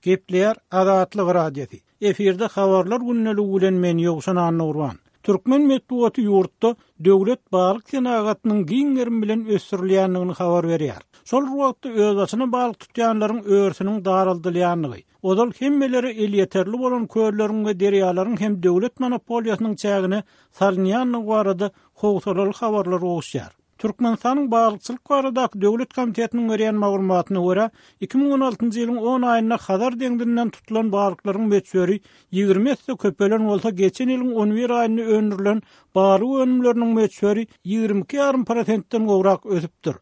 Gepleýär Azatlyk Radiosy. Efirde Habarlar gündeligi bilen men Ýowşan Annagurban. Türkmen metbugaty ýurtda döwlet balyk senagatynyň giň gerim bilen ösdürilýändigini habar berýär. Şol bir wagtda özbaşyna balyk tutýanlaryň örüsiniň daraldylýandygy, ozal hemmelere elýeterli bolan kölleriň we derýalaryň hem döwlet monopoliýasynyň çägine salynýandygy barada howsalaly habarlar gowuşýar. Türkmenistanyň Balykçylyk baradaky döwlet komitetiniň berýän maglumatyna görä, 2016-njy ýylyň on aýynda Hazar deňzinden tutulan balyklaryň möçberi 20 esse köpelen bolsa, geçen ýylyň on bir aýynda öndürilen balyk önümleriniň möçberi 22 ýarym prosentden gowrak ösüpdir.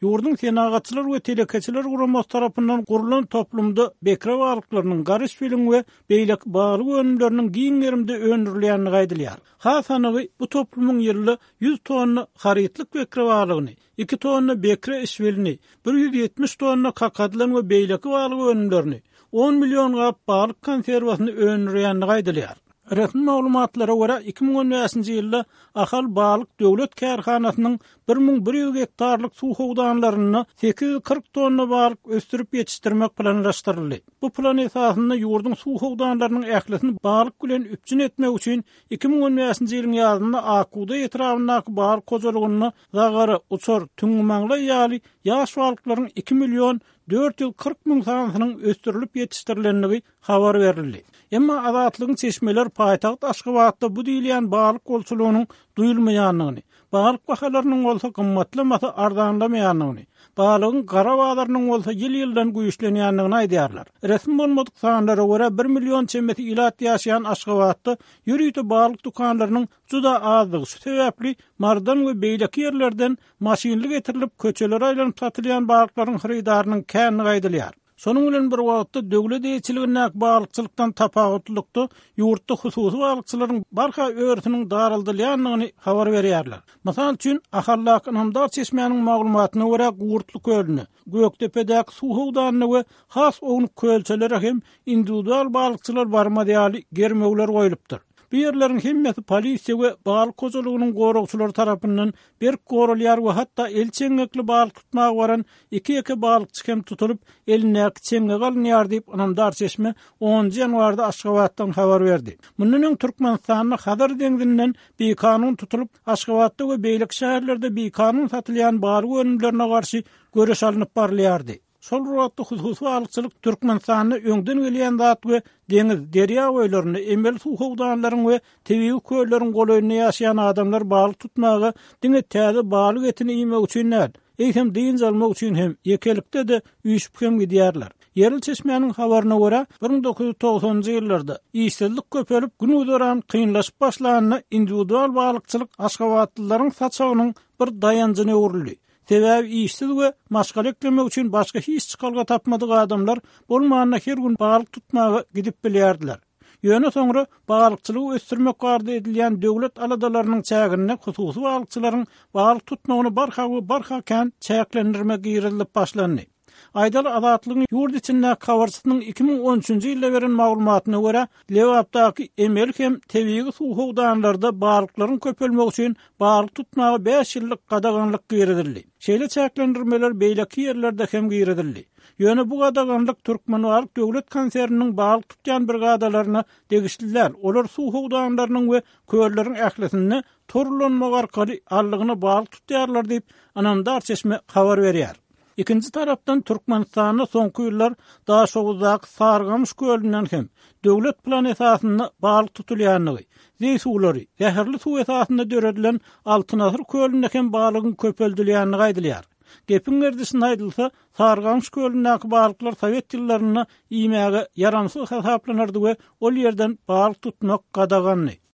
Ýurduň Senagatçylar we telekeçiler guramasy tarapyndan gurlan toplumda bekre balyklarynyň, garyşbiliň we beýleki balyk önümleriniň giň gerimde öndürilýändigi aýdylýar. Has anygy, bu toplumyň ýylda 100 tonna harytlyk bekre balygyny, iki tonna bekre işbilini, 170 tonna kakadylan we beýleki balyk önümlerini, on million gap balyk konserwasyny öndürýändigi aýdylýar. Resmi maglumatlara görä, 2015-nji ýylda Ahal balyk döwlet kärhanasynyň 1100 gektarlyk suw howdanlarynda 840 tonna balyk ösdürip ýetişdirmek planlaşdyryldy. Bu plan esasynda ýurduň suw howdanlarynyň ählisini balyk bilen üpjün etmek üçin 2015-nji ýylyň ýazynda Akbugdaý etrabyndaky balyk hojalygynda zagara, uçar, tüňňümaňlaý ýaly ýaş balyklaryň 2 million 440 müň sanysynyň ösdürilip ýetişdirilendigi habar berildi. Emma Azatlygyň çeşmeleri paýtagt Aşgabatda bu diýilýän balyk bolçulygynyň duýulmaýandygyny, balyk bahalarynyň bolsa gymmatlamasa arzanlamaýandygyny, balygyň gara bazarynyň bolsa ýyl-ýyldan güýçlenýändigini aýdýarlar. Resmi bolmadyk sanlara görä, bir million çemesi ilat ýaşaýan Aşgabatda ýörite balyk dükanlarynyň juda azdygy, şu sebäpli Marydan we beýleki ýerlerden maşynly getirilip, köçelere aýlanyp satylýan balyklaryň hyrydarynyň kändigi aýdylýar. Şonuň bilen bir wagtda, döwlet eýeçiligindäki balykçylykdan tapawutlylykda, ýurtda hususy balykçylaryň barha örüsiniň daraldylýandygyny habar berýärler. Mysal üçin, Ahaldaky ynamdar çeşmäniň maglumatyna görä, Gurtly kölüne, Gökdepedäki suw howdanyna we has ownuk kölçelere hem indiwidual balykçylar barmaz ýaly germewler goýlupdyr. Bu ýerleriň hemmesi polisiýa we balyk hojalygynyň goragçylary tarapyndan berk goralýar we hatda el çeňňekli balyk tutmaga baran iki-ýeke balykçy hem tutulyp, elindäki çeňňegi alynýar diýip, ynamdar çeşme onunjy ýanwarda Aşgabatdan habar berdi. Mundan öň Türkmenistanda Hazar deňzinden bikanun tutulyp, Aşgabatda we beýleki şäherlerde bikanun satylýan balyk önümlerine garşy göreş alnyp barylýardy. Şol bir wagtda hususy balykçylyk Türkmenistanda öňden gelýän zat we deňiz, derýa boýlarynda, emeli suw howdanlaryň we tebigy kölleriň golaýynda ýaşaýan adamlar balyk tutmaga diňe täze balyk etini iýmek üçin däl, eýsem dynç almak üçin hem, ýekelikde-de, üýşüp hem gidýärler. Ýerli çeşmäniň habaryna görä, 1990-njy ýyllarda işsizlik köpelip, gün-güzeran kynlaşyp başlanda indiwidual balykçylyk aşgabatlylaryň saçagynyň bir daýanjyna öwrüldi. Sebäbi işsiz we maşgala eklemek üçin başga hiç çykalga tapmadyk adamlar bolmanda her gün balyk tutmaga gidip bilýärdiler. Ýöne soňra balykçylygy ösdürmek barada edilýän döwlet aladalarynyň çäginde hususy balykçylaryň balyk tutmagyna barha we barha kän çäklendirme girizilip başlandy. Aýdaly, Azatlygyň ýurt içindäki habarçysynyň 2013-nji ýylda beren maglumatyna görä, Lebapdaky emeli hem tebigy suw howdanlarda balyklaryň köpelmegi üçin balyk tutmaga bäş ýyllyk gadaganlyk girizildi. Şeýle çäklendirmeler beýleki ýerlerde hem girizildi. Ýöne bu gadaganlyk Türkmenbalyk döwlet konserniniň balyk tutýan brigadalaryna degişli däl, olar suw howdanlarynyň we kölleriň ählisinde tor ulanmak arkaly aldygyna balyk tutýarlar diýip, ynamdar çeşme habar berýär. Ikinji tarapdan, Türkmenistanda soňky ýyllar Daşoguzdaky Sarygamyş kölünden hem döwlet plany esasynda balyk tutulýandygy, zeý suwlary, zäherli suw esasynda döredilen Altyn asyr kölünde hem balygyň köpeldilýändigi aýdylýar. Gepiň gerdişinde aýdylsa, Sarygamyş kölündäki balyklar sowet ýyllarynda iýmäge ýaramsyz hasaplanardy we ol ýerden balyk tutmak gadagandy.